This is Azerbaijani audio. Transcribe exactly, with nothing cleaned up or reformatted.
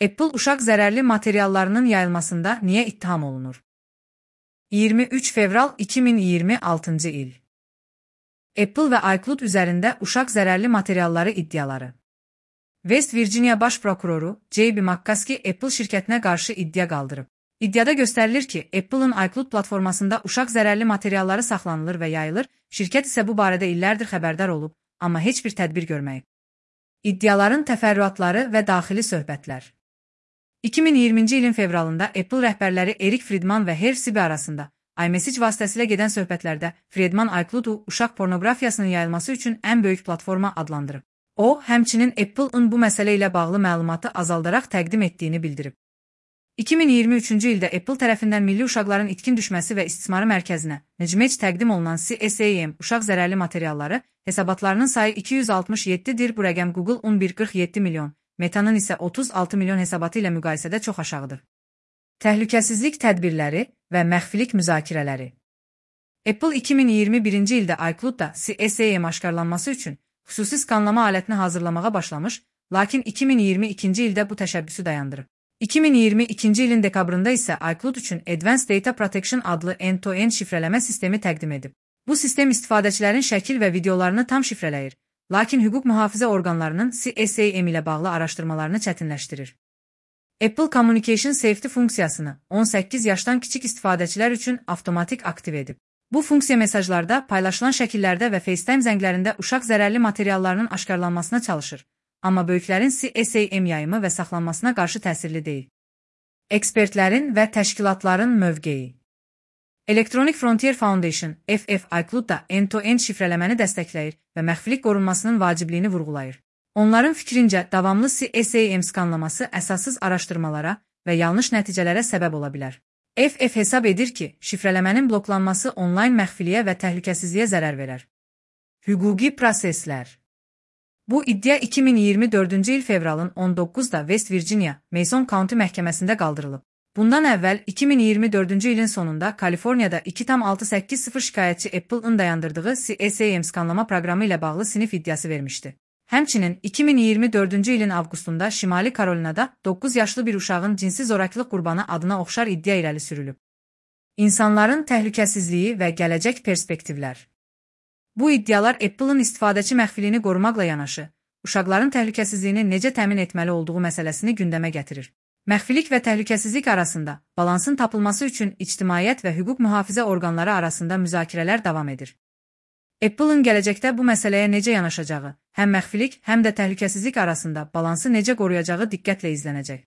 Apple uşaq zərərli materiallarının yayılmasında niyə ittiham olunur? iyirmi üç fevral iki min iyirmi altıncı il. Apple və iCloud üzərində uşaq zərərli materialları iddiaları. West Virginia baş prokuroru J B McCaskey Apple şirkətinə qarşı iddia qaldırıb. İddiada göstərilir ki, Apple'ın iCloud platformasında uşaq zərərli materialları saxlanılır və yayılır, şirkət isə bu barədə illərdir xəbərdar olub, amma heç bir tədbir görməyib. İddiaların təfərrüatları və daxili söhbətlər. iki min iyirminci ilin fevralında Apple rəhbərləri Eric Friedman və Herb Sibe arasında iMessage vasitəsilə gedən söhbətlərdə Friedman iCloud-u uşaq pornoqrafiyasının yayılması üçün ən böyük platforma adlandırıb. O, həmçinin Apple-ın bu məsələ ilə bağlı məlumatı azaldaraq təqdim etdiyini bildirib. iki min iyirmi üçüncü ildə Apple tərəfindən Milli Uşaqların İtkin Düşməsi və İstismarı Mərkəzinə Necmec təqdim olunan C S A M uşaq zərərli materialları hesabatlarının sayı iki yüz altmış yeddidir. Bu rəqəm Google on bir qırx yeddi milyon, Meta'nın isə otuz altı milyon hesabatı ilə müqayisədə çox aşağıdır. Təhlükəsizlik tədbirləri və məxfilik müzakirələri. Apple iki min iyirmi birinci ildə iCloud-da C S A M aşkarlanması üçün xüsusi skanlama alətini hazırlamağa başlamış, lakin iki min iyirmi ikinci ildə bu təşəbbüsü dayandırıb. iki min iyirmi ikinci ilin dekabrında isə iCloud üçün Advanced Data Protection adlı end-to-end şifrələmə sistemi təqdim edib. Bu sistem istifadəçilərin şəkil və videolarını tam şifrələyir, lakin hüquq mühafizə orqanlarının C S A M ilə bağlı araşdırmalarını çətinləşdirir. Apple Communication Safety funksiyasını on səkkiz yaşdan kiçik istifadəçilər üçün avtomatik aktiv edib. Bu funksiya mesajlarda, paylaşılan şəkillərdə və FaceTime zənglərində uşaq zərərli materiallarının aşkarlanmasına çalışır, amma böyüklərin C S A M yayımı və saxlanmasına qarşı təsirli deyil. Ekspertlərin və təşkilatların mövqeyi. Electronic Frontier Foundation F F iCloud-da end-to-end şifrələməni dəstəkləyir və məxfilik qorunmasının vacibliyini vurğulayır. Onların fikrincə, davamlı C S A M skanlaması əsassız araşdırmalara və yanlış nəticələrə səbəb ola bilər. F F hesab edir ki, şifrələmənin bloklanması onlayn məxfiliyə və təhlükəsizliyə zərər verər. Hüquqi proseslər. Bu iddia iki min iyirmi dördüncü il fevralın on doqquzunda West Virginia, Mason County məhkəməsində qaldırılıb. Bundan əvvəl iki min iyirmi dördüncü ilin sonunda Kaliforniyada iki tam altı səkkiz sıfır şikayətçi Apple-ın dayandırdığı C S A M skanlama proqramı ilə bağlı sinif iddiası vermişdi. Həmçinin iki min iyirmi dördüncü ilin avqustunda Şimali Karolinada doqquz yaşlı bir uşağın cinsi zorakılıq qurbanı adına oxşar iddia irəli sürülüb. İnsanların təhlükəsizliyi və gələcək perspektivlər. Bu iddialar Apple-ın istifadəçi məxfiliyini qorumaqla yanaşı, uşaqların təhlükəsizliyini necə təmin etməli olduğu məsələsini gündəmə gətirir. Məxfilik və təhlükəsizlik arasında balansın tapılması üçün ictimaiyyət və hüquq mühafizə orqanları arasında müzakirələr davam edir. Apple-ın gələcəkdə bu məsələyə necə yanaşacağı, həm məxfilik, həm də təhlükəsizlik arasında balansı necə qoruyacağı diqqətlə izlənəcək.